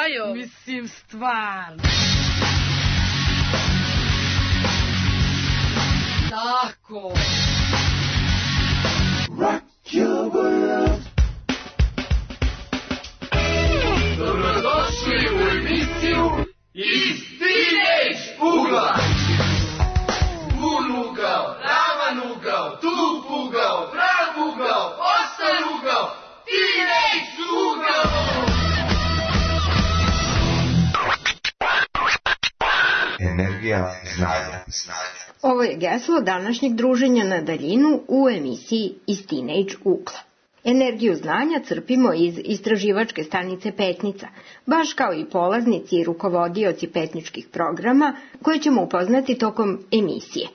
Jajo? Mislim, stvarno. Tako. Rock your world. Dobrodošli u emisiju Iz Teenage ugla. Vun ugao, ravan ugao, tup ugao, prav ugao, ostan ugao, Teenage ugao. Energija znanja. Ovo je geslo današnjeg druženja na daljinu u emisiji Iz Teenage ugla. Energiju znanja crpimo iz istraživačke stanice Petnica, baš kao i polaznici i rukovodioci petničkih programa koje ćemo upoznati tokom emisije.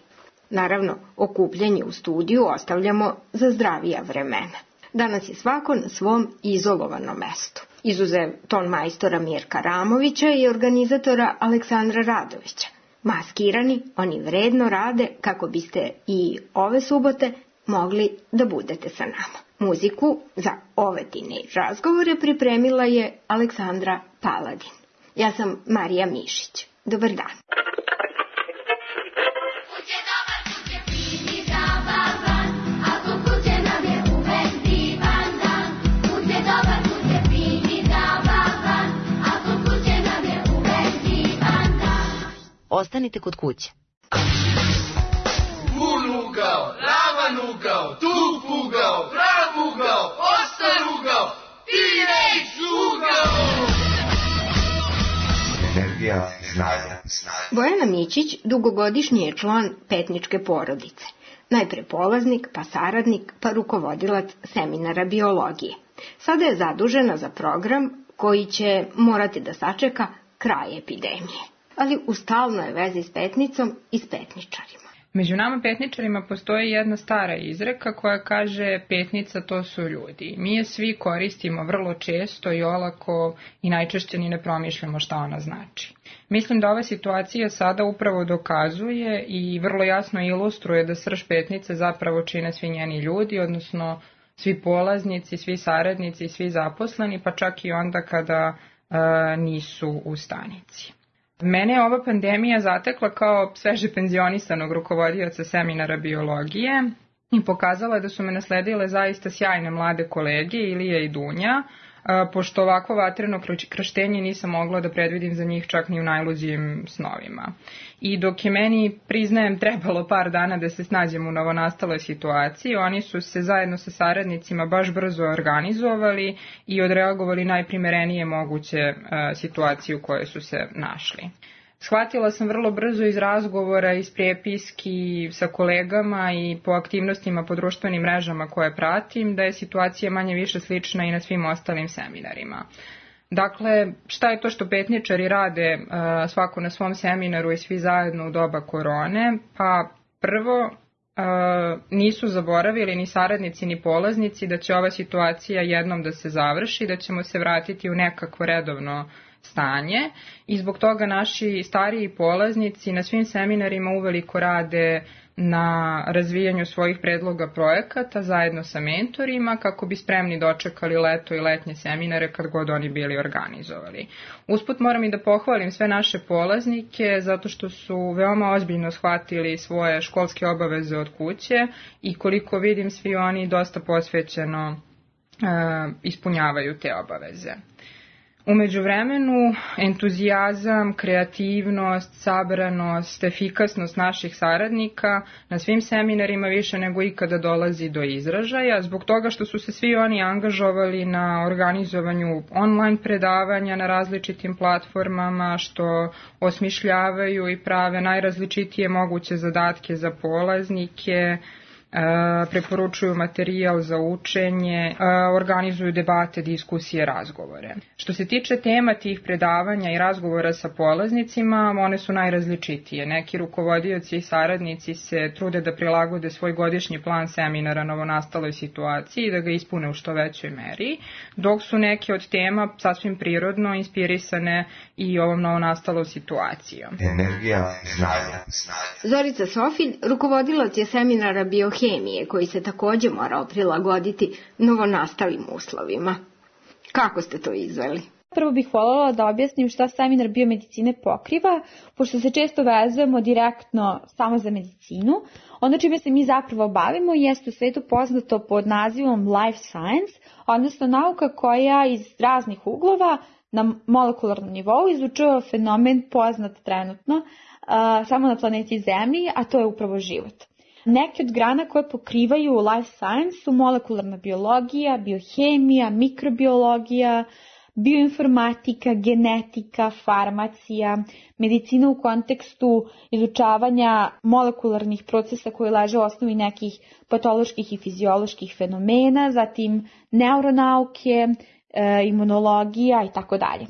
Naravno, okupljanje u studiju ostavljamo za zdravija vremena. Danas je svako na svom izolovanom mestu. Izuzev ton majstora Mirka Ramovića i organizatora Aleksandra Radovića. Maskirani, oni vredno rade kako biste i ove subote mogli da budete sa nama. Muziku za ove teenage razgovore pripremila je Aleksandra Paladin. Ja sam Marija Mišić. Dobar dan. Ostanite kod kuće. Vun ugao, ravan ugao, tup ugao, prav ugao, ostan ugao, Teenage ugao. Energija znanja. Bojana Mićić dugogodišnji je član petničke porodice. Najpre polaznik, pa saradnik, pa rukovodilac seminara biologije. Sada je zadužena za program koji će morati da sačeka kraj epidemije. Ali u stalnoj vezi s petnicom i s petničarima. Među nama petničarima postoji jedna stara izreka koja kaže petnica to su ljudi. Mi je svi koristimo vrlo često i olako i najčešće ni ne promišljamo šta ona znači. Mislim da ova situacija sada upravo dokazuje i vrlo jasno ilustruje da srž petnice zapravo čine svi njeni ljudi, odnosno svi polaznici, svi saradnici, svi zaposleni, pa čak i onda kada nisu u stanici. Mene je ova pandemija zatekla kao sveže penzionisanog rukovodioca seminara biologije i pokazala je da su me nasledile zaista sjajne mlade kolege Ilija i Dunja, pošto ovako vatreno krštenje nisam mogla da predvidim za njih čak ni u najluđim snovima. I dok je meni, priznajem, trebalo par dana da se snađem u novonastaloj situaciji, oni su se zajedno sa saradnicima baš brzo organizovali i odreagovali najprimerenije moguće situacije u kojoj su se našli. Shvatila sam vrlo brzo iz razgovora, iz prepiski sa kolegama i po aktivnostima po društvenim mrežama koje pratim da je situacija manje više slična i na svim ostalim seminarima. Dakle, šta je to što petničari rade svako na svom seminaru i svi zajedno u doba korone? Pa prvo, nisu zaboravili ni saradnici ni polaznici da će ova situacija jednom da se završi, da ćemo se vratiti u nekakvo redovno stanje i zbog toga naši stariji polaznici na svim seminarima uveliko rade na razvijanju svojih predloga projekata zajedno sa mentorima kako bi spremni dočekali leto i letnje seminare kad god oni bili organizovali. Usput moram i da pohvalim sve naše polaznike zato što su veoma ozbiljno shvatili svoje školske obaveze od kuće i koliko vidim svi oni dosta posvećeno ispunjavaju te obaveze. U međuvremenu, entuzijazam, kreativnost, sabranost, efikasnost naših saradnika na svim seminarima više nego ikada dolazi do izražaja, zbog toga što su se svi oni angažovali na organizovanju online predavanja na različitim platformama, što osmišljavaju i prave najrazličitije moguće zadatke za polaznike, preporučuju materijal za učenje, organizuju debate, diskusije, razgovore. Što se tiče tema tih predavanja i razgovora sa polaznicima, one su najrazličitije. Neki rukovodioci i saradnici se trude da prilagode svoj godišnji plan seminara novonastaloj situaciji i da ga ispune u što većoj meri, dok su neke od tema sasvim prirodno inspirisane i ovom novonastalom situacijom. Energija znanja. Zorica Sofilj, rukovodilac je seminara biohemije koji se takođe morao prilagoditi novonastalim uslovima. Kako ste to izveli? prvo bih voljela da objasnim šta seminar biomedicine pokriva, pošto se često vezujemo direktno samo za medicinu. Ono čime se mi zapravo bavimo jeste u svetu poznato pod nazivom life science, odnosno nauka koja iz raznih uglova na molekularnom nivou izučava fenomen poznat trenutno samo na planeti Zemlji, a to je upravo život. Neke od grana koje pokrivaju life science su molekularna biologija, biohemija, mikrobiologija, bioinformatika, genetika, farmacija, medicina u kontekstu izučavanja molekularnih procesa koji leže u osnovi nekih patoloških i fizioloških fenomena, zatim neuronauke, imunologija i tako dalje.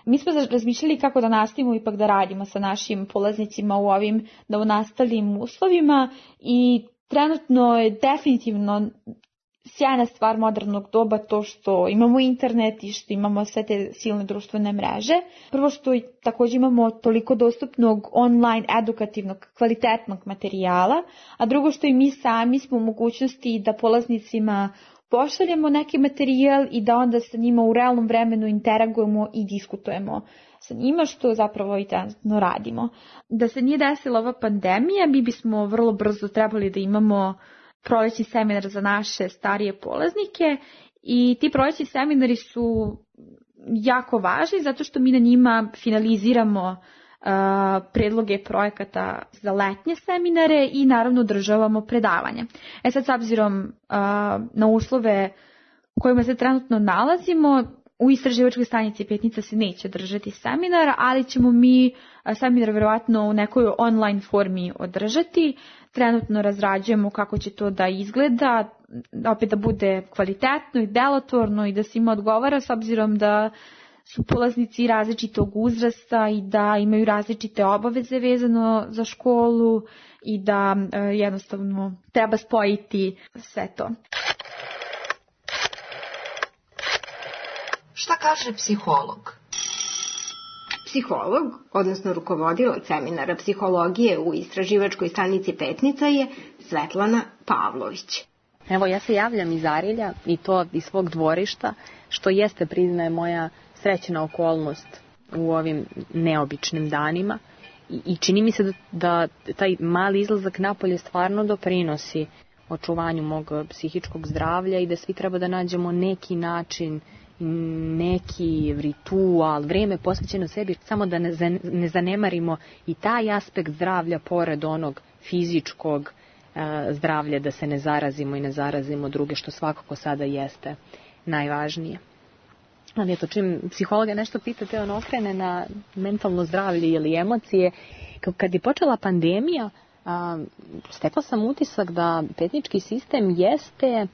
Mi smo razmišljali kako da nastavimo ipak da radimo sa našim polaznicima u ovim novonastalim uslovima i trenutno je definitivno sjajna stvar modernog doba to što imamo internet i što imamo sve te silne društvene mreže. Prvo što također imamo toliko dostupnog online edukativnog kvalitetnog materijala, a drugo što i mi sami smo u mogućnosti da polaznicima pošaljemo neki materijal i da onda sa njima u realnom vremenu interagujemo i diskutujemo sa njima, što zapravo i trenutno radimo. Da se nije desila ova pandemija, mi bismo vrlo brzo trebali da imamo prolećni seminar za naše starije polaznike i ti prolećni seminari su jako važni zato što mi na njima finaliziramo predloge projekata za letnje seminare i naravno održavamo predavanja. Sad s obzirom na uslove u kojima se trenutno nalazimo, u istraživačkoj stanici Petnica se neće držati seminar, ali ćemo mi seminar vjerovatno u nekoj online formi održati. Trenutno razrađujemo kako će to da izgleda, opet da bude kvalitetno i delotvorno i da svima odgovara s obzirom da su polaznici različitog uzrasta i da imaju različite obaveze vezano za školu i da jednostavno treba spojiti sve to. Šta kaže psiholog? Psiholog, odnosno rukovodilac seminara psihologije u istraživačkoj stanici Petnica je Svetlana Pavlović. Evo, ja se javljam iz Arilja i to iz svog dvorišta, što jeste, priznaje, moja srećna okolnost u ovim neobičnim danima. I čini mi se da taj mali izlazak napolje stvarno doprinosi očuvanju mog psihičkog zdravlja i da svi treba da nađemo neki način, neki ritual, vrijeme posvećeno sebi, samo da ne zanemarimo i taj aspekt zdravlja pored onog fizičkog zdravlja, da se ne zarazimo i ne zarazimo druge, što svakako sada jeste najvažnije. Ali eto, čim psihologa nešto pitate, on okrene na mentalno zdravlje ili emocije. Kad je počela pandemija, stekla sam utisak da petnički sistem jeste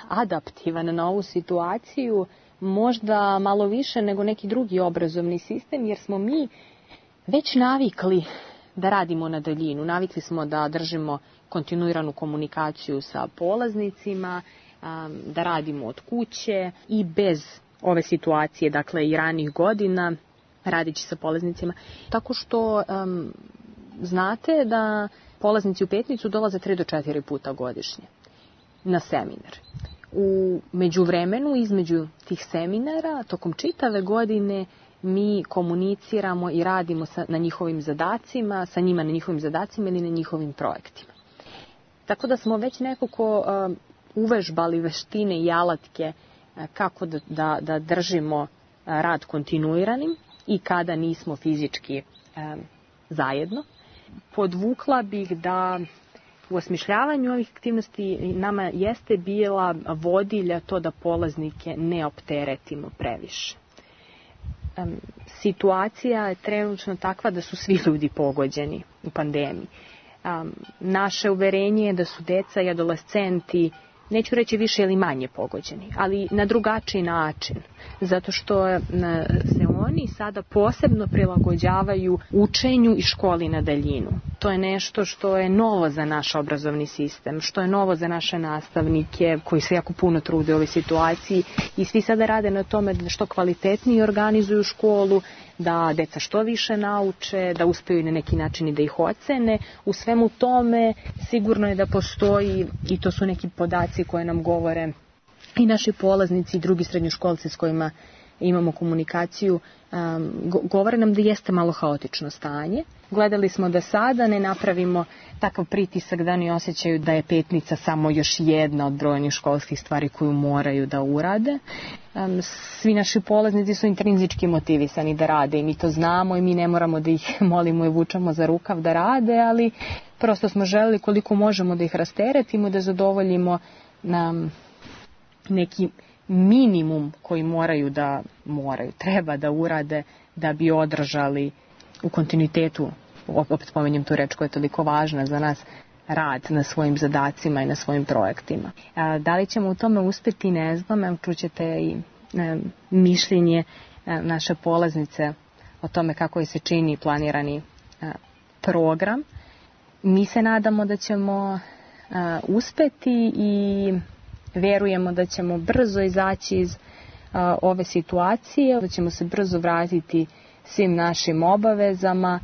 adaptivan na ovu situaciju, možda malo više nego neki drugi obrazovni sistem, jer smo mi već navikli da radimo na daljinu. Navikli smo da držimo kontinuiranu komunikaciju sa polaznicima, da radimo od kuće i bez ove situacije, dakle i ranih godina, radići sa polaznicima. Tako što znate da polaznici u Petnicu dolaze 3 do 4 puta godišnje na seminar. U međuvremenu, između tih seminara, tokom čitave godine mi komuniciramo i radimo na njihovim zadacima, sa njima na njihovim zadacima ili na njihovim projektima. Tako da smo već nekako uvežbali veštine i alatke kako da držimo rad kontinuiranim i kada nismo fizički zajedno. Podvukla bih da u osmišljavanju ovih aktivnosti nama jeste bila vodilja to da polaznike ne opteretimo previše. Situacija je trenutno takva da su svi ljudi pogođeni u pandemiji. Naše uverenje je da su deca i adolescenti, neću reći više ili manje pogođeni, ali na drugačiji način, zato što se oni sada posebno prilagođavaju učenju i školi na daljinu. To je nešto što je novo za naš obrazovni sistem, što je novo za naše nastavnike koji se jako puno trude u ovoj situaciji i svi sada rade na tome da što kvalitetnije organizuju školu, da deca što više nauče, da uspeju na neki način i da ih ocene. U svemu tome sigurno je da postoji, i to su neki podaci koje nam govore i naši polaznici i drugi srednjoškolci s kojima imamo komunikaciju, govore nam da jeste malo haotično stanje. Gledali smo da sada ne napravimo takav pritisak da oni osjećaju da je petnica samo još jedna od brojnih školskih stvari koju moraju da urade. Svi naši polaznici su intrinzički motivisani da rade i mi to znamo i mi ne moramo da ih molimo i vučamo za rukav da rade, ali prosto smo želeli koliko možemo da ih rasteretimo, da zadovoljimo neki minimum koji treba da urade da bi održali u kontinuitetu, opet spomenjem tu reč koja je toliko važna za nas, rad na svojim zadacima i na svojim projektima. Da li ćemo u tome uspjeti, ne znam, čućete i mišljenje naše polaznice o tome kako je se čini planirani program. Mi se nadamo da ćemo uspjeti i verujemo da ćemo brzo izaći iz ove situacije, da ćemo se brzo vratiti svim našim obavezama,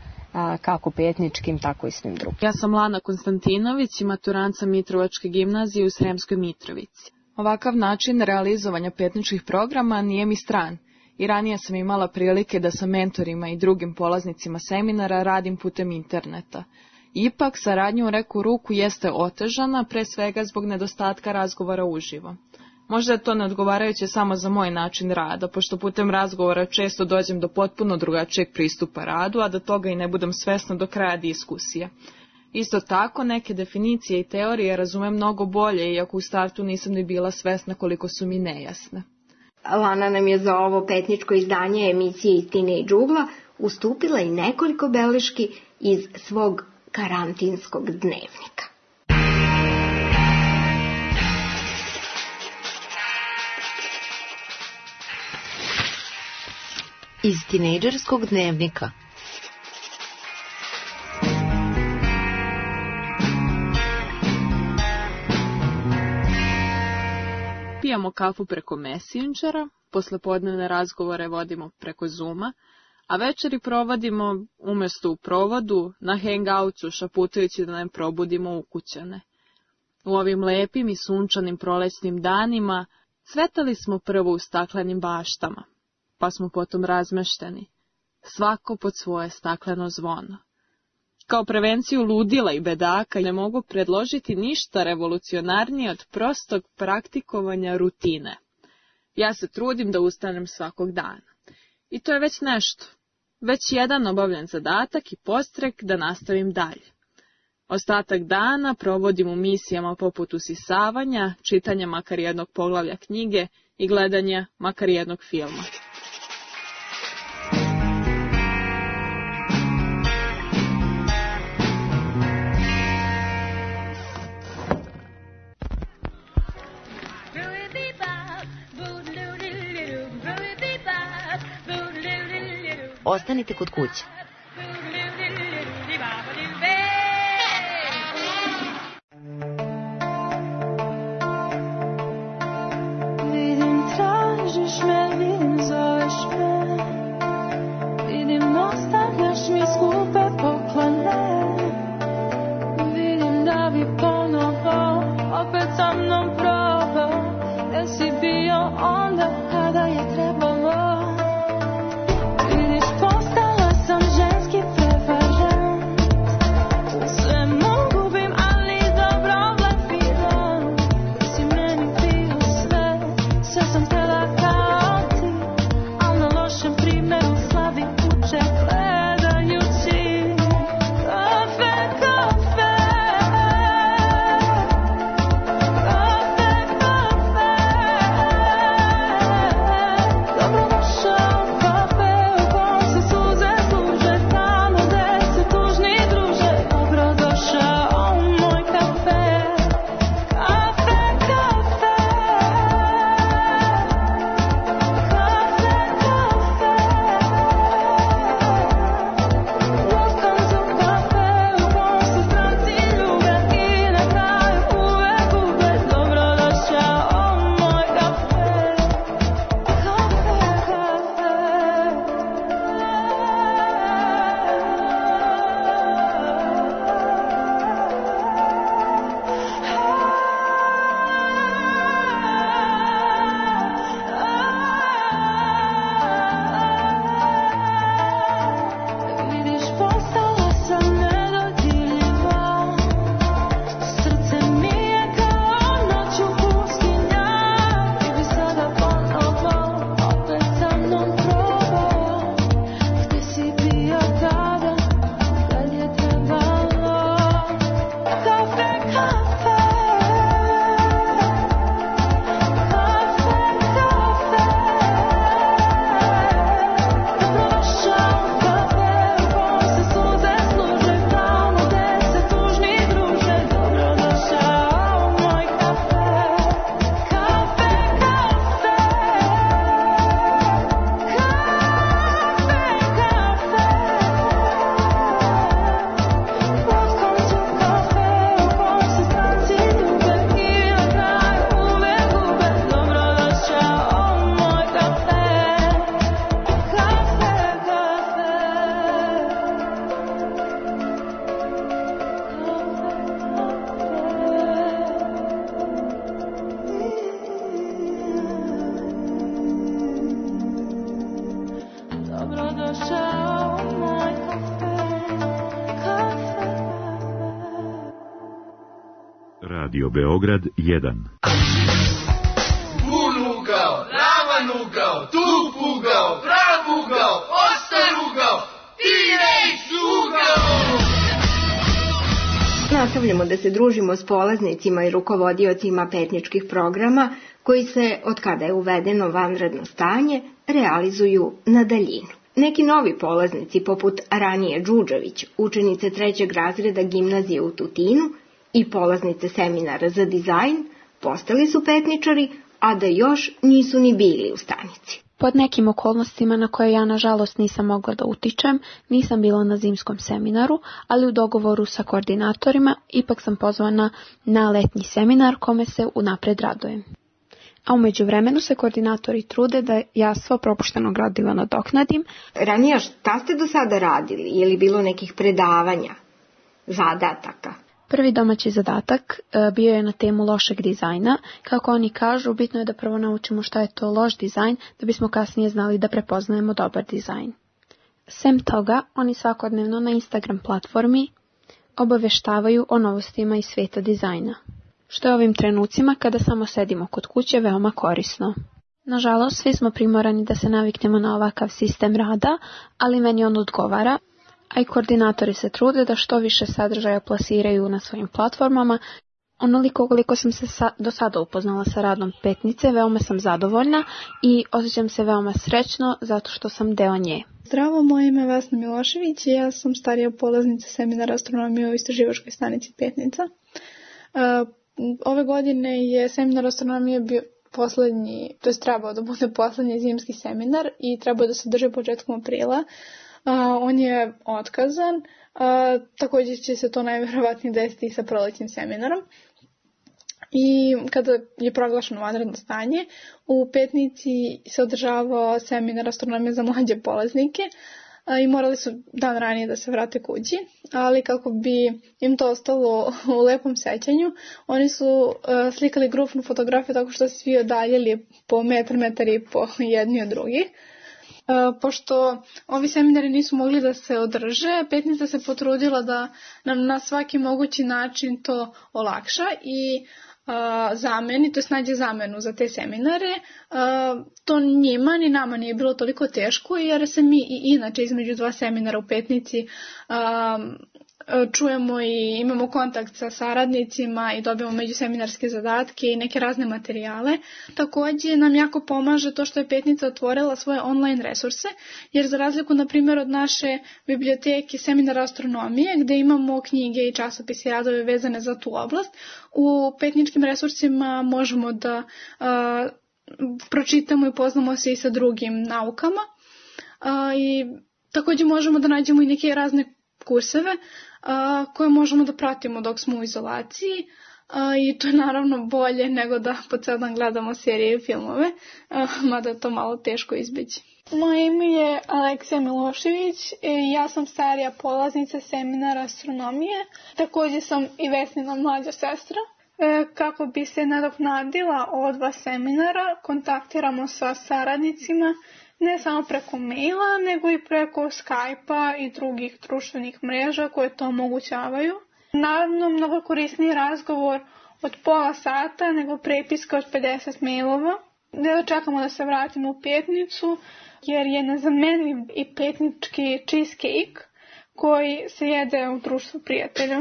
kako petničkim, tako i svim drugim. Ja sam Lana Konstantinović i maturanca Mitrovačke gimnazije u Sremskoj Mitrovici. Ovakav način realizovanja petničkih programa nije mi stran i ranije sam imala prilike da sa mentorima i drugim polaznicima seminara radim putem interneta. Ipak, saradnja u neku ruku jeste otežana, pre svega zbog nedostatka razgovora uživo. Možda je to neodgovarajuće samo za moj način rada, pošto putem razgovora često dođem do potpuno drugačijeg pristupa radu, a da toga i ne budem svesna do kraja diskusije. Isto tako, neke definicije i teorije razumem mnogo bolje, iako u startu nisam ni bila svesna koliko su mi nejasne. Lana nam je za ovo petničko izdanje emisije iz Teenage ugla ustupila i nekoliko beleški iz svog karantinskog dnevnika. Iz tinejdžerskog dnevnika. Pijamo kafu preko Messengera, poslepodnevne razgovore vodimo preko Zooma, a večeri provodimo umjesto u provodu na hangoutsu šaputajući da ne probudimo ukućane. U ovim lepim i sunčanim prolećnim danima cvetali smo prvo u staklenim baštama, pa smo potom razmešteni, svako pod svoje stakleno zvono. Kao prevenciju ludila i bedaka ne mogu predložiti ništa revolucionarnije od prostog praktikovanja rutine. Ja se trudim da ustanem svakog dana. I to je već nešto. Već jedan obavljen zadatak i podstrek da nastavim dalje. Ostatak dana provodim u misijama poput usisavanja, čitanja makar jednog poglavlja knjige i gledanja makar jednog filma. Ostanite kod kuće. Vidim, tražiš me, vidim, zoveš me. Vidim, ostavljaš mi skupe poklone. Vidim da bi ponovo opet sa mnom probao. Jer si bio onda kada je trebalo. Postala sam Radio Beograd 1. Bun ugao, ravan ugao, tug ugao, prav ugao, ostar ugao, T-Rex ugao! Nastavljamo da se družimo s polaznicima i rukovodiocima petničkih programa koji se, od kada je uvedeno vanredno stanje, realizuju na daljinu. Neki novi polaznici, poput Ranije Đuđević, učenice 3. razreda gimnazije u Tutinu i polaznice seminara za dizajn, postali su petničari, a da još nisu ni bili u stanici. Pod nekim okolnostima na koje ja nažalost nisam mogla da utičem, nisam bila na zimskom seminaru, ali u dogovoru sa koordinatorima ipak sam pozvana na letnji seminar kome se unapred radujem. A u međuvremenu se koordinatori trude da ja svo propušteno gradivo nadoknadim. Ranija, šta ste do sada radili? Je li bilo nekih predavanja, zadataka? Prvi domaći zadatak bio je na temu lošeg dizajna. Kako oni kažu, bitno je da prvo naučimo šta je to loš dizajn, da bismo kasnije znali da prepoznajemo dobar dizajn. Sem toga, oni svakodnevno na Instagram platformi obaveštavaju o novostima iz svijeta dizajna, što je ovim trenucima kada samo sedimo kod kuće veoma korisno. Nažalost, svi smo primorani da se naviknemo na ovakav sistem rada, ali meni on odgovara, a i koordinatori se trude da što više sadržaja plasiraju na svojim platformama. Onoliko koliko sam se do sada upoznala sa radom petnice, veoma sam zadovoljna i osjećam se veoma srećno zato što sam deo nje. Zdravo, moje ime je Vesna Milošević i ja sam starija polaznica seminara astronomije u istraživačkoj stanici Petnica. Ove godine je seminar astronomije bio poslednji, to je trebao da bude poslednji zimski seminar i trebao da se drži početkom aprila. On je otkazan, također će se to najvjerovatnije desiti sa prolećnim seminarom. I kada je proglašeno vanredno stanje, u Petnici se održavao seminar astronomije za mlađe polaznike i morali su dan ranije da se vrate kući, ali kako bi im to ostalo u lepom sećanju, oni su slikali grupnu fotografiju tako što se svi odaljili po metar i po jedni od drugih. Pošto ovi seminari nisu mogli da se održe, Petnica se potrudila da nam na svaki mogući način to olakša i zameni, to je nađe zamenu za te seminare. To njima ni nama nije bilo toliko teško jer se mi i inače između dva seminara u Petnici čujemo i imamo kontakt sa saradnicima i dobijamo međuseminarske zadatke i neke razne materijale. Također nam jako pomaže to što je Petnica otvorila svoje online resurse, jer za razliku na primjer od naše biblioteke seminara astronomije gdje imamo knjige i časopise i radove vezane za tu oblast, u petničkim resursima možemo da pročitamo i poznamo se i sa drugim naukama i također možemo da nađemo i neke razne kurseve koje možemo da pratimo dok smo u izolaciji i to je naravno bolje nego da po ceo dan gledamo serije i filmove, mada je to malo teško izbeći. Moje ime je Aleksija Milošević i ja sam starija polaznica seminara astronomije. Također sam i Vesnina mlađa sestra. Kako bi se nadoknadila ova dva seminara, kontaktiramo sa saradnicima ne samo preko maila, nego i preko Skype-a i drugih društvenih mreža koje to omogućavaju. Naravno, mnogo korisniji razgovor od pola sata nego prepiska od 50 mailova. Ne čekamo da se vratimo u Petnicu, jer je nezamenljiv i petnički cheesecake koji se jede u društvu prijatelja.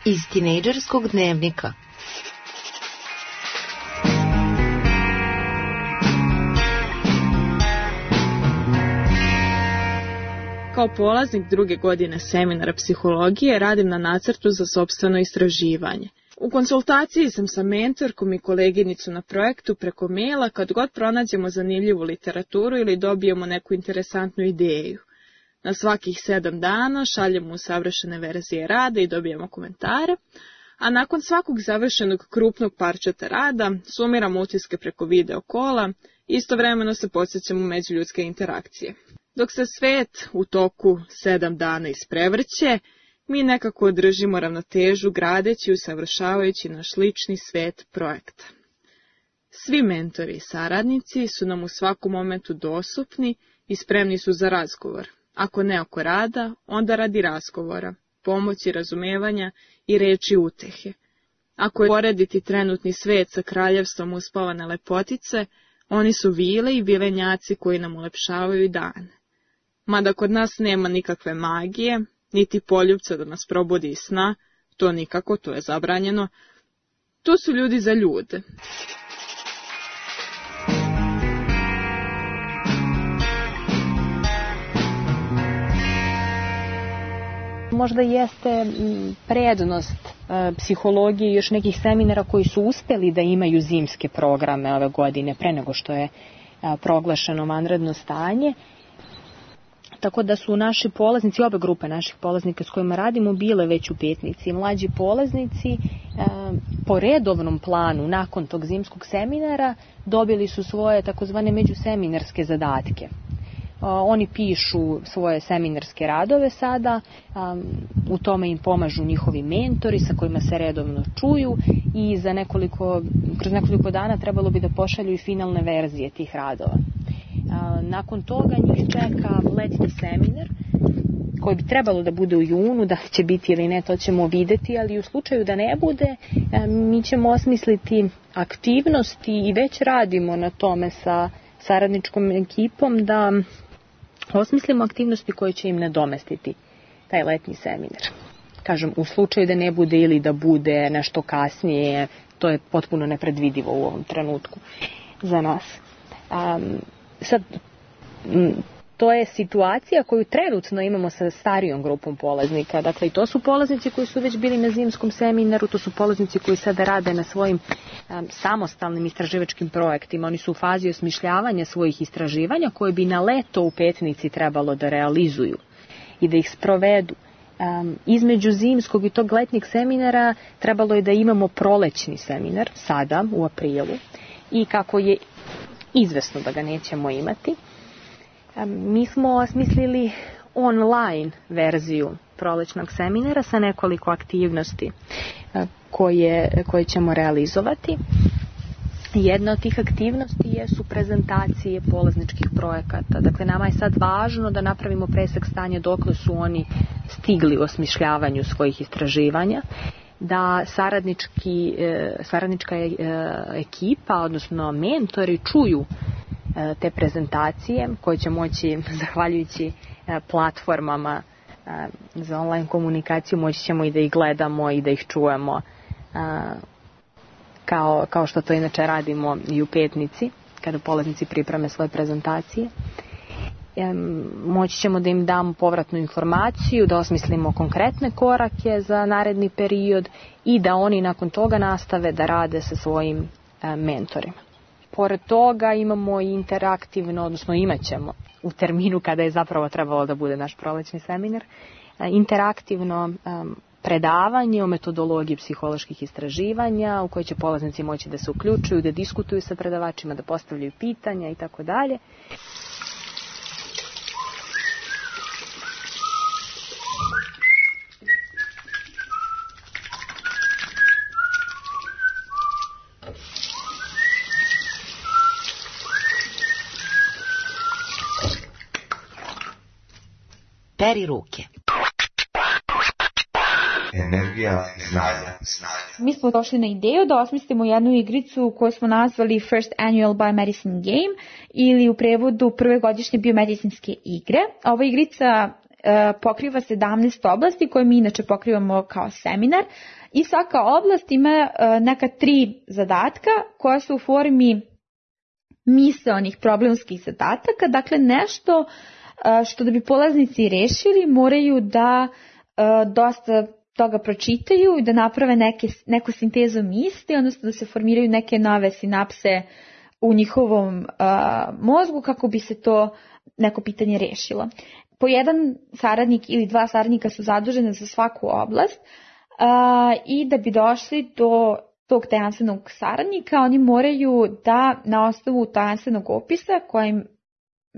Iz tinejdžerskog dnevnika. Kao polaznik druge godine seminara psihologije radim na nacrtu za sopstveno istraživanje. U konsultaciji sam sa mentorkom i koleginicu na projektu preko maila kad god pronađemo zanimljivu literaturu ili dobijemo neku interesantnu ideju. Na svakih 7 dana šaljemo usavršene verzije rada i dobijemo komentare, a nakon svakog završenog krupnog parčeta rada sumiramo utiske preko video kola i istovremeno se podsjećamo međuljudske interakcije. Dok se svet u toku 7 dana isprevrće, mi nekako održimo ravnotežu gradeći i usavršavajući naš lični svet projekta. Svi mentori i saradnici su nam u svakom momentu dostupni i spremni su za razgovor. Ako ne oko rada, onda radi razgovora, pomoći, razumevanja i reči utehe. Ako je porediti trenutni svet sa kraljevstvom uspavane lepotice, oni su vile i vilenjaci koji nam ulepšavaju dane. Mada kod nas nema nikakve magije, niti poljupca da nas probudi iz sna, to nikako, to je zabranjeno. To su ljudi za ljude. Možda jeste prednost psihologije i još nekih seminara koji su uspeli da imaju zimske programe ove godine pre nego što je proglašeno vanredno stanje. Tako da su naši polaznici, obe grupe naših polaznika s kojima radimo, bile već u Petnici. Mlađi polaznici po redovnom planu nakon tog zimskog seminara dobili su svoje takozvane međuseminarske zadatke. Oni pišu svoje seminarske radove sada, u tome im pomažu njihovi mentori sa kojima se redovno čuju i kroz nekoliko dana trebalo bi da pošalju i finalne verzije tih radova. Nakon toga njih čeka letnji seminar koji bi trebalo da bude u junu, da će biti ili ne, to ćemo videti, ali u slučaju da ne bude, mi ćemo osmisliti aktivnosti i već radimo na tome sa saradničkom ekipom da osmislimo aktivnosti koje će im nadomestiti taj letnji seminar. Kažem, u slučaju da ne bude ili da bude nešto kasnije, to je potpuno nepredvidivo u ovom trenutku za nas. Sad, to je situacija koju trenutno imamo sa starijom grupom polaznika. Dakle, i to su polaznici koji su već bili na zimskom seminaru, to su polaznici koji sada rade na svojim samostalnim istraživačkim projektima. Oni su u fazi osmišljavanja svojih istraživanja koje bi na leto u Petnici trebalo da realizuju i da ih sprovedu. Između zimskog i tog letnjeg seminara trebalo je da imamo prolećni seminar, sada u aprilu, i kako je izvesno da ga nećemo imati, mi smo osmislili online verziju prolećnog seminara sa nekoliko aktivnosti koje ćemo realizovati. Jedna od tih aktivnosti jesu prezentacije polazničkih projekata. Dakle, nama je sad važno da napravimo presek stanja dokle su oni stigli u osmišljavanju svojih istraživanja, da saradnička ekipa, odnosno mentori, čuju te prezentacije koje će moći, zahvaljujući platformama za online komunikaciju, moći ćemo i da ih gledamo i da ih čujemo kao što to inače radimo i u Petnici, kada polaznici pripreme svoje prezentacije. Moći ćemo da im damo povratnu informaciju, da osmislimo konkretne korake za naredni period i da oni nakon toga nastave da rade sa svojim mentorima. Pored toga imamo i interaktivno, odnosno imat ćemo u terminu kada je zapravo trebalo da bude naš prolećni seminar, interaktivno predavanje o metodologiji psiholoških istraživanja u kojoj će polaznici moći da se uključuju, da diskutuju sa predavačima, da postavljaju pitanja i tako dalje. Peri ruke. Energija znanja. Mi smo došli na ideju da osmislimo jednu igricu koju smo nazvali First Annual Biomedicine Game ili u prevodu prve godišnje biomedicinske igre. Ova igrica pokriva 17 oblasti koje mi inače pokrivamo kao seminar i svaka oblast ima neka 3 zadatka koja su u formi misaonih problemskih zadataka, dakle nešto što da bi polaznici rešili moraju da dosta toga pročitaju i da naprave neku sintezu misli, odnosno da se formiraju neke nove sinapse u njihovom mozgu kako bi se to neko pitanje rešilo. Po jedan saradnik ili 2 saradnika su zadužene za svaku oblast i da bi došli do tog tajanstvenog saradnika, oni moraju da na osnovu tajanstvenog opisa kojim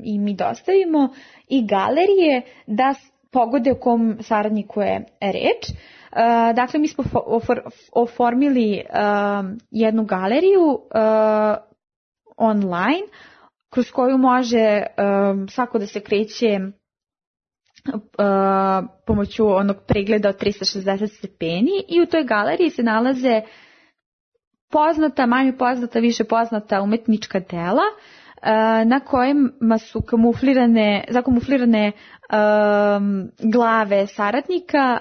i mi dostavimo i galerije da pogode o kom saradniku je reč. Dakle, mi smo oformili jednu galeriju online kroz koju može svako da se kreće pomoću onog pregleda od 360 stepeni i u toj galeriji se nalaze poznata, manje poznata, više poznata umetnička dela na kojima su zakamuflirane glave saradnika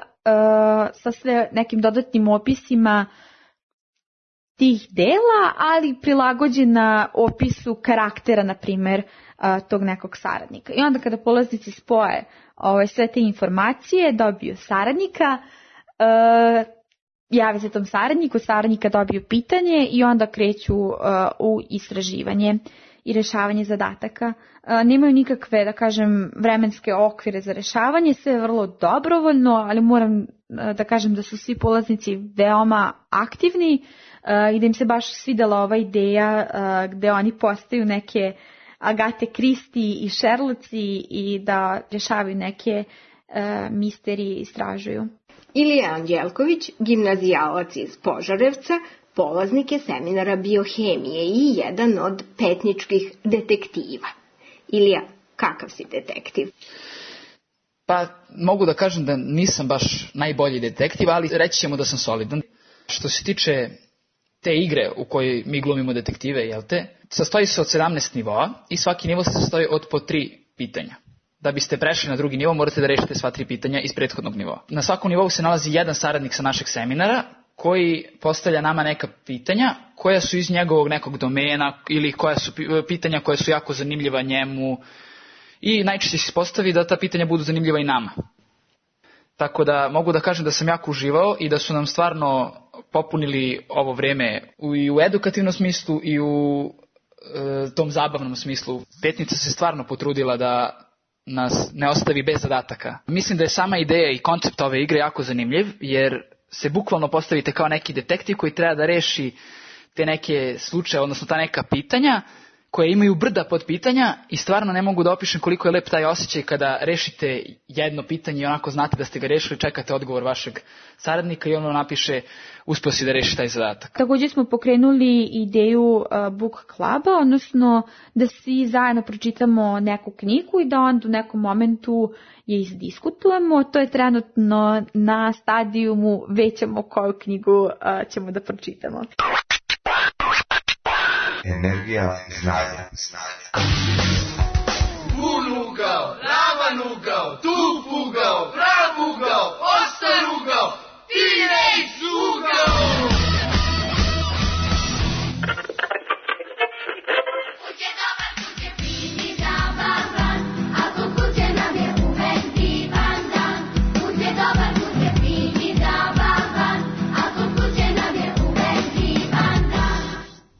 sa sve nekim dodatnim opisima tih dela, ali prilagođena opisu karaktera, na primjer, tog nekog saradnika. I onda kada polaznici spoje sve te informacije, dobiju saradnika, jave se tom saradnika dobiju pitanje i onda kreću u istraživanje i rešavanje zadataka. Nemaju nikakve, da kažem, vremenske okvire za rešavanje, sve je vrlo dobrovoljno, ali moram da kažem da su svi polaznici veoma aktivni i da im se baš svidela ova ideja gde oni postaju neke Agate Kristi i Šerloci i da rešavaju neke misterije i istražuju. Ilija Anđelković, gimnazijalac iz Požarevca, polaznik je seminara biohemije i jedan od petničkih detektiva. Ilija, kakav si detektiv? Pa mogu da kažem da nisam baš najbolji detektiv, ali reći ćemo da sam solidan. Što se tiče te igre u kojoj mi glumimo detektive, jel te, sastoji se od 17 nivoa i svaki nivo se sastoji od po 3 pitanja. Da biste prešli na drugi nivo, morate da rešite sva 3 pitanja iz prethodnog nivoa. Na svakom nivou se nalazi jedan saradnik sa našeg seminara koji postavlja nama neka pitanja koja su iz njegovog nekog domena ili koja su pitanja koja su jako zanimljiva njemu i najčešće se postavi da ta pitanja budu zanimljiva i nama. Tako da mogu da kažem da sam jako uživao i da su nam stvarno popunili ovo vreme i u edukativnom smislu i u tom zabavnom smislu. Petnica se stvarno potrudila da nas ne ostavi bez zadataka. Mislim da je sama ideja i koncept ove igre jako zanimljiv, jer se bukvalno postavite kao neki detektiv koji treba da reši te neke slučaje, odnosno ta neka pitanja koje imaju brda pod pitanja i stvarno ne mogu da opišem koliko je lep taj osjećaj kada rešite jedno pitanje i onako znate da ste ga rešili, čekate odgovor vašeg saradnika i ono napiše uspeo si da reši taj zadatak. Također smo pokrenuli ideju book kluba, odnosno da svi zajedno pročitamo neku knjigu i da onda u nekom momentu je izdiskutujemo. To je trenutno na stadijumu, već ćemo koju knjigu ćemo da pročitamo. Energija znanja. Bun ugao, ravan ugao, tup ugao, prav ugao, ostar ugao, Teenage ugao!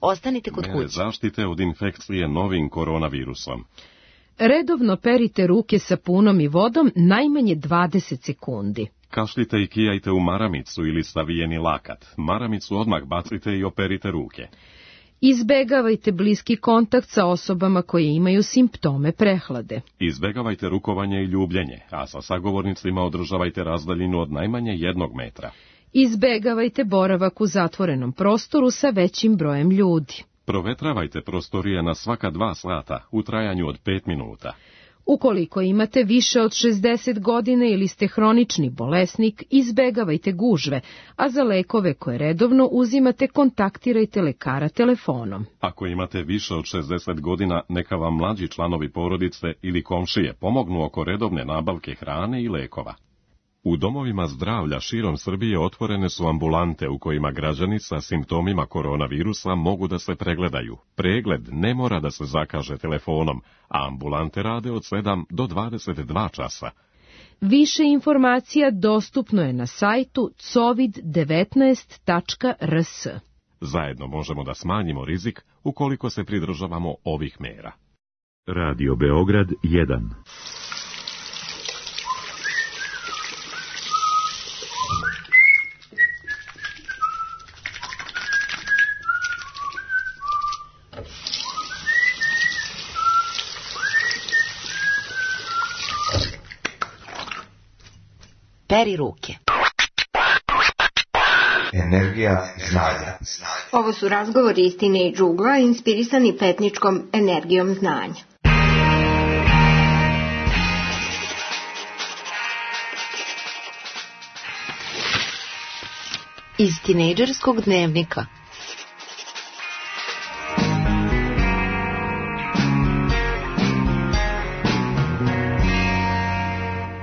Ostanite kod kuće. Zaštite od infekcije novim koronavirusom. Redovno perite ruke sapunom i vodom najmanje 20 sekundi. Kašljite i kijajte u maramicu ili savijeni lakat. Maramicu odmah bacite i operite ruke. Izbegavajte bliski kontakt sa osobama koje imaju simptome prehlade. Izbegavajte rukovanje i ljubljenje, a sa sagovornicima održavajte razdaljinu od najmanje 1 metra. Izbegavajte boravak u zatvorenom prostoru sa većim brojem ljudi. Provetravajte prostorije na svaka 2 sata u trajanju od 5 minuta. Ukoliko imate više od 60 godina ili ste hronični bolesnik, izbegavajte gužve, a za lekove koje redovno uzimate, kontaktirajte lekara telefonom. Ako imate više od 60 godina, neka vam mlađi članovi porodice ili komšije pomognu oko redovne nabavke hrane i lekova. U domovima zdravlja širom Srbije otvorene su ambulante u kojima građani sa simptomima koronavirusa mogu da se pregledaju. Pregled ne mora da se zakaže telefonom, a ambulante rade od 7 do 22 časa. Više informacija dostupno je na sajtu covid19.rs. Zajedno možemo da smanjimo rizik ukoliko se pridržavamo ovih mera. Radio Beograd 1. Peri ruke. Energija znanja. Ovo su razgovori iz Teenage ugla inspirisani petničkom energijom znanja. Iz tinejdžerskog dnevnika.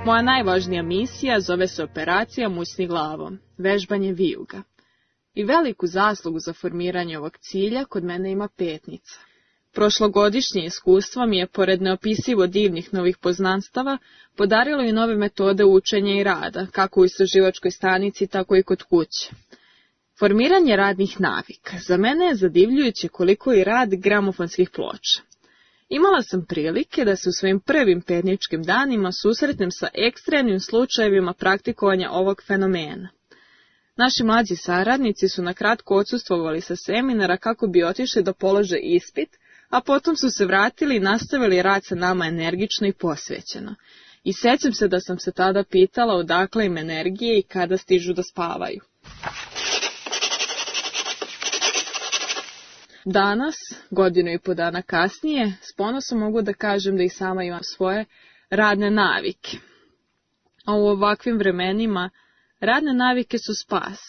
Moja najvažnija misija zove se operacija Musni glavom, vežbanje vijuga. I veliku zaslugu za formiranje ovog cilja kod mene ima Petnica. Prošlogodišnje iskustvo mi je, pored neopisivo divnih novih poznanstava, podarilo i nove metode učenja i rada, kako u istraživačkoj stanici, tako i kod kuće. Formiranje radnih navika. Za mene je zadivljujuće koliko i rad gramofonskih ploča. Imala sam prilike da se u svojim prvim petničkim danima susretnem sa ekstremnim slučajevima praktikovanja ovog fenomena. Naši mlađi saradnici su na kratko odsustvovali sa seminara kako bi otišli da polože ispit, a potom su se vratili i nastavili rad sa nama energično i posvećeno. I sećam se da sam se tada pitala odakle im energije i kada stižu da spavaju. Danas, 1.5 godina kasnije, s ponosom mogu da kažem da i sama imam svoje radne navike. A u ovakvim vremenima radne navike su spas,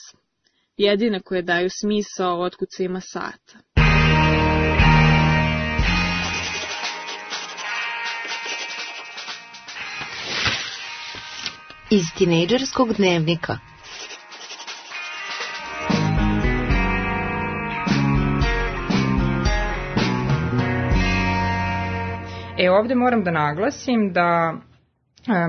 jedine koje daju smisao otkucima sata. Iz tinejdžerskog dnevnika. Ovdje moram da naglasim da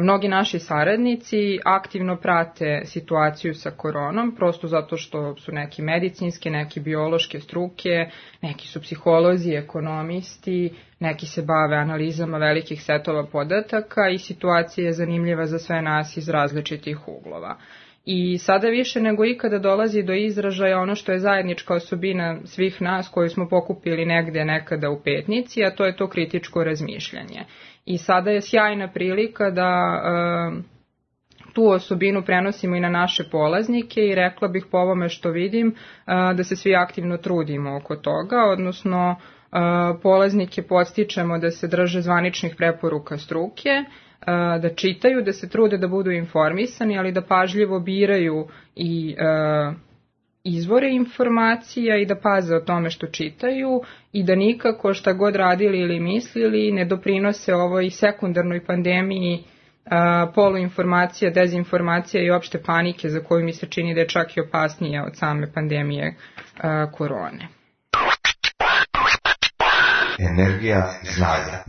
mnogi naši saradnici aktivno prate situaciju sa koronom, prosto zato što su neki medicinske, neki biološke struke, neki su psiholozi, ekonomisti, neki se bave analizama velikih setova podataka i situacija je zanimljiva za sve nas iz različitih uglova. I sada više nego ikada dolazi do izražaja ono što je zajednička osobina svih nas koju smo pokupili negde nekada u Petnici, a to je to kritičko razmišljanje. I sada je sjajna prilika da tu osobinu prenosimo i na naše polaznike i rekla bih po ovome što vidim da se svi aktivno trudimo oko toga, odnosno polaznike podstičemo da se drže zvaničnih preporuka struke, da čitaju, da se trude da budu informisani, ali da pažljivo biraju i izvore informacija i da paze o tome što čitaju i da nikako šta god radili ili mislili ne doprinose ovoj sekundarnoj pandemiji poluinformacija, dezinformacija i opšte panike za koju mi se čini da je čak i opasnija od same pandemije korone. Energija znanja.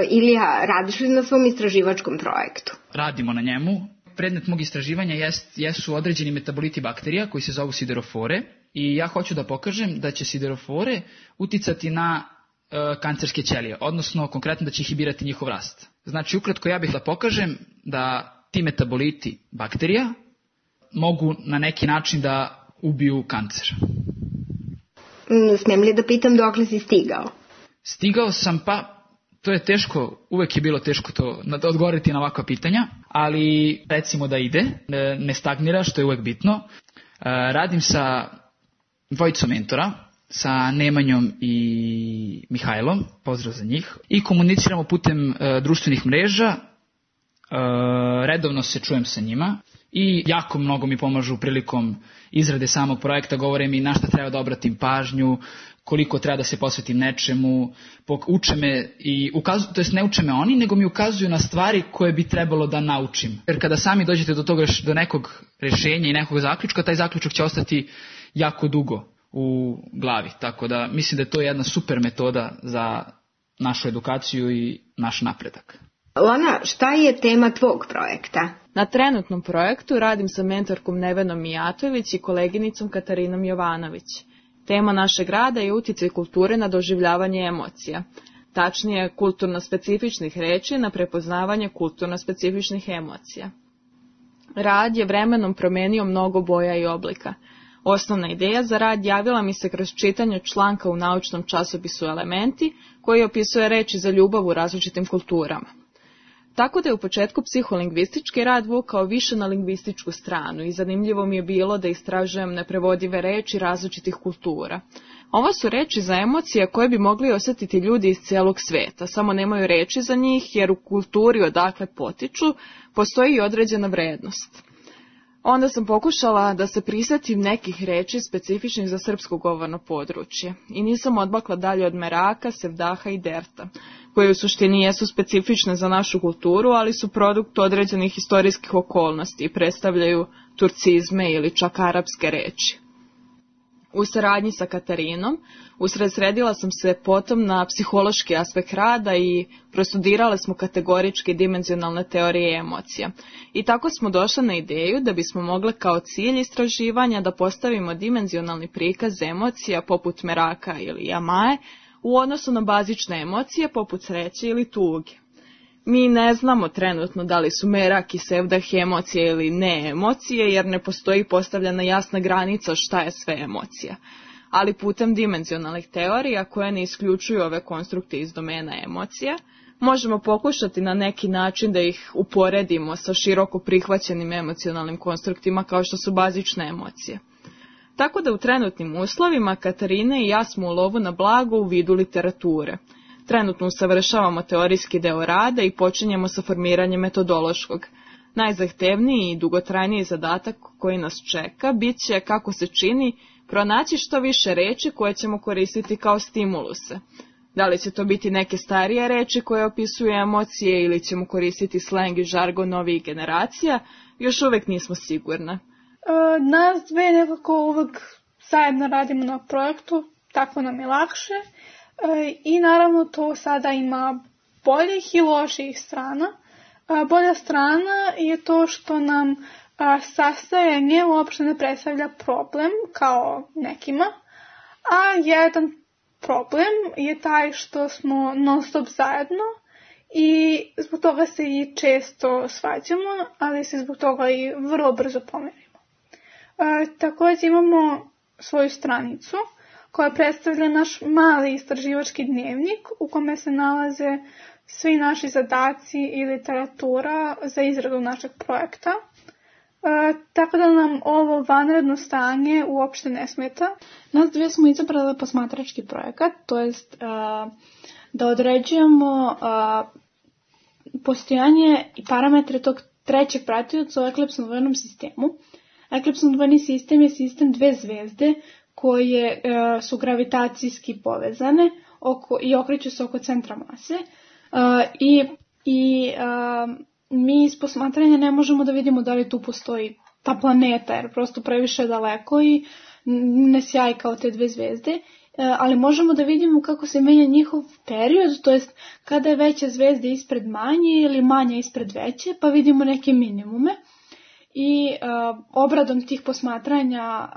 Ilija, radiš li na svom istraživačkom projektu? Radimo na njemu. Predmet mog istraživanja jesu određeni metaboliti bakterija koji se zovu siderofore i ja hoću da pokažem da će siderofore uticati na kancerske ćelije, odnosno konkretno da će inhibirati njihov rast. Znači, ukratko ja bih da pokažem da ti metaboliti bakterija mogu na neki način da ubiju kancer. Smijem li da pitam dokle si stigao? Stigao sam, to je teško, uvek je bilo teško to odgovoriti na ovakva pitanja, ali recimo da ide, ne stagnira, što je uvek bitno. Radim sa dvojicom mentora, sa Nemanjom i Mihajlom, pozdrav za njih, i komuniciramo putem društvenih mreža, redovno se čujem sa njima i jako mnogo mi pomažu prilikom izrade samog projekta, govore mi na šta treba da obratim pažnju, koliko treba da se posvetim nečemu, uče me i ukazuju, to jest ne uče me oni, nego mi ukazuju na stvari koje bi trebalo da naučim. Jer kada sami dođete do toga, do nekog rešenja i nekog zaključka, taj zaključak će ostati jako dugo u glavi. Tako da mislim da je to jedna super metoda za našu edukaciju i naš napredak. Lana, šta je tema tvog projekta? Na trenutnom projektu radim sa mentorkom Nevenom Mijatović i koleginicom Katarinom Jovanović. Tema našeg rada je uticaj kulture na doživljavanje emocija, tačnije kulturno-specifičnih reči na prepoznavanje kulturno-specifičnih emocija. Rad je vremenom promenio mnogo boja i oblika. Osnovna ideja za rad javila mi se kroz čitanje članka u naučnom časopisu Elementi, koji opisuje reči za ljubav u različitim kulturama. Tako da je u početku psiholingvistički rad vukao više na lingvističku stranu i zanimljivo mi je bilo da istražujem neprevodive reči različitih kultura. Ovo su reči za emocije koje bi mogli osjetiti ljudi iz cijelog sveta, samo nemaju reči za njih jer u kulturi odakle potiču postoji i određena vrednost. Onda sam pokušala da se prisjetim nekih reči specifičnih za srpsko govorno područje i nisam odmakla dalje od meraka, sevdaha i derta, koje u suštini jesu specifične za našu kulturu, ali su produkt određenih historijskih okolnosti i predstavljaju turcizme ili čak arapske reči. U saradnji sa Katarinom usredsredila sam se potom na psihološki aspekt rada i prostudirale smo kategoričke dimenzionalne teorije emocija. I tako smo došli na ideju da bismo mogli kao cilj istraživanja da postavimo dimenzionalni prikaz emocija poput meraka ili jamaje u odnosu na bazične emocije poput sreće ili tuge. Mi ne znamo trenutno da li su merak i sevdah emocije ili ne emocije, jer ne postoji postavljena jasna granica šta je sve emocija. Ali putem dimenzionalnih teorija, koje ne isključuju ove konstrukte iz domena emocija, možemo pokušati na neki način da ih uporedimo sa široko prihvaćenim emocionalnim konstruktima kao što su bazične emocije. Tako da u trenutnim uslovima Katarina i ja smo u lovu na blago u vidu literature. Trenutno usavršavamo teorijski deo rada i počinjemo sa formiranjem metodološkog. Najzahtevniji i dugotrajniji zadatak koji nas čeka bit će, kako se čini, pronaći što više reči koje ćemo koristiti kao stimuluse. Da li će to biti neke starije reči koje opisuju emocije ili ćemo koristiti sleng i žargon novih generacija, još uvijek nismo sigurne. Nas dve nekako uvijek zajedno radimo na projektu, tako nam je lakše. I naravno to sada ima boljih i loših strana. Bolja strana je to što nam sastajanje uopšte ne predstavlja problem kao nekima, a jedan problem je taj što smo non stop zajedno i zbog toga se i često svađamo, ali se zbog toga i vrlo brzo pomirimo. Također imamo svoju stranicu koja predstavlja naš mali istraživački dnevnik u kome se nalaze svi naši zadaci i literatura za izradu našeg projekta. Tako da nam ovo vanredno stanje uopšte ne smeta. Nas dvije smo izabrali posmatrački projekat, to jest da određujemo postojanje i parametre tog trećeg pratioca u eklipsno-dvojnom sistemu. Eklipsno-dvojni sistem je sistem dve zvezde koje su gravitacijski povezane i okreću se oko centra mase. Mi iz posmatranja ne možemo da vidimo da li tu postoji ta planeta, jer prosto previše daleko i ne sjaji kao te dve zvezde, ali možemo da vidimo kako se menja njihov period, to jest kada je veća zvezda ispred manje ili manja ispred veće, pa vidimo neke minimume. I obradom tih posmatranja,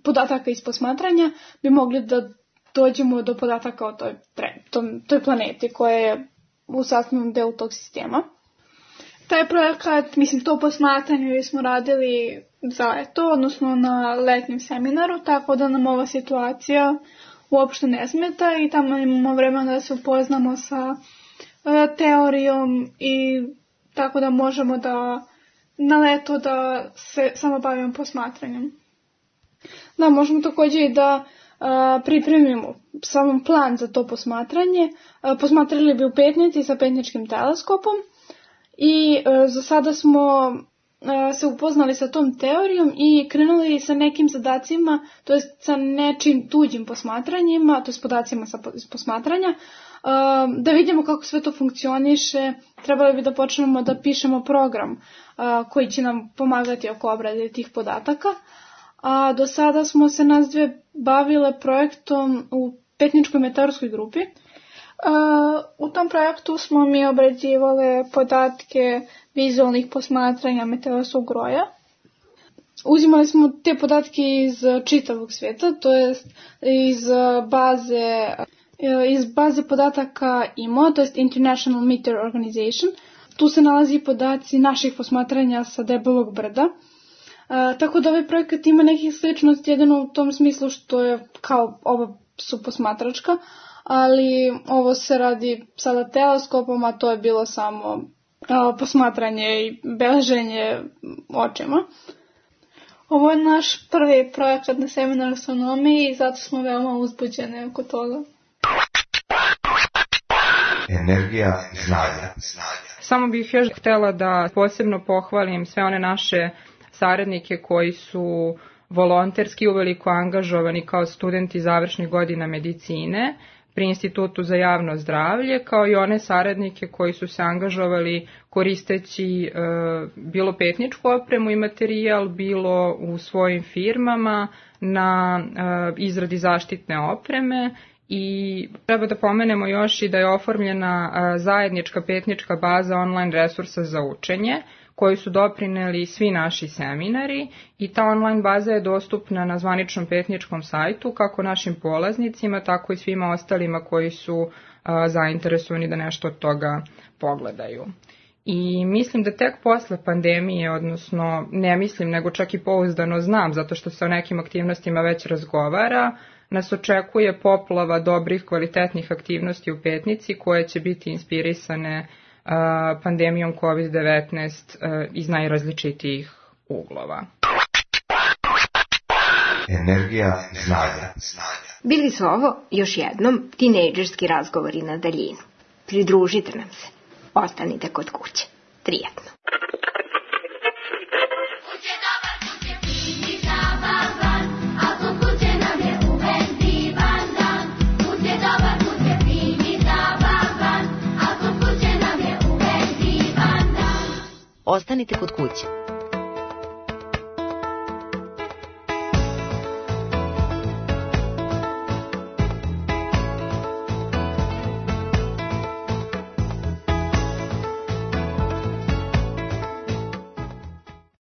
podataka iz posmatranja, bi mogli da dođemo do podataka o toj planeti koja je u sastavnom delu tog sistema. Taj projekat, to posmatranje smo radili za leto, odnosno na letnjem seminaru, tako da nam ova situacija uopšte ne smeta i tamo imamo vremena da se upoznamo sa teorijom i tako da možemo da na leto da se samo bavimo posmatranjem. Da, možemo također i da pripremimo sam plan za to posmatranje. Posmatrali bi u Petnici sa petničkim teleskopom i za sada smo se upoznali sa tom teorijom i krenuli sa nekim zadacima, to jest sa nečim tuđim posmatranjima, to jest podacima iz posmatranja, da vidimo kako sve to funkcioniše. Trebali bi da počnemo da pišemo program koji će nam pomagati oko obrade tih podataka. A do sada smo se nas dve bavile projektom u Petničkoj meteorskoj grupi. U tom projektu smo mi obrađivale podatke vizualnih posmatranja meteorskog broja. Uzimali smo te podatke iz čitavog svijeta, to jest iz baze podataka IMO, to jest International Meteor Organization. Tu se nalazi podaci naših posmatranja sa debelog brda. Tako da ovaj projekat ima nekih sličnosti jedino u tom smislu što je kao ova su posmatračka, ali ovo se radi sada teleskopom, a to je bilo samo posmatranje i beleženje očima. Ovo je naš prvi projekat na seminaru astronomiji i zato smo veoma uzbuđene oko toga. Energija znanja. Samo bih još htjela da posebno pohvalim sve one naše saradnike koji su volonterski uveliko angažovani kao studenti završnih godina medicine pri Institutu za javno zdravlje, kao i one saradnike koji su se angažovali koristeći bilo petničku opremu i materijal, bilo u svojim firmama na izradi zaštitne opreme. I treba da pomenemo još i da je oformljena zajednička petnička baza online resursa za učenje, koju su doprineli svi naši seminari, i ta online baza je dostupna na zvaničnom petničkom sajtu kako našim polaznicima, tako i svima ostalima koji su zainteresovani da nešto od toga pogledaju. I mislim da tek posle pandemije, odnosno ne mislim nego čak i pouzdano znam, zato što se o nekim aktivnostima već razgovara, nas očekuje poplava dobrih kvalitetnih aktivnosti u petnici koje će biti inspirisane pandemijom COVID-19 iz najrazličitijih uglova. Energija znanja. Bili su ovo još jednom tinejdžerski razgovori na daljinu. Pridružite nam se. Ostanite kod kuće. Prijetno. Ostanite kod kuće.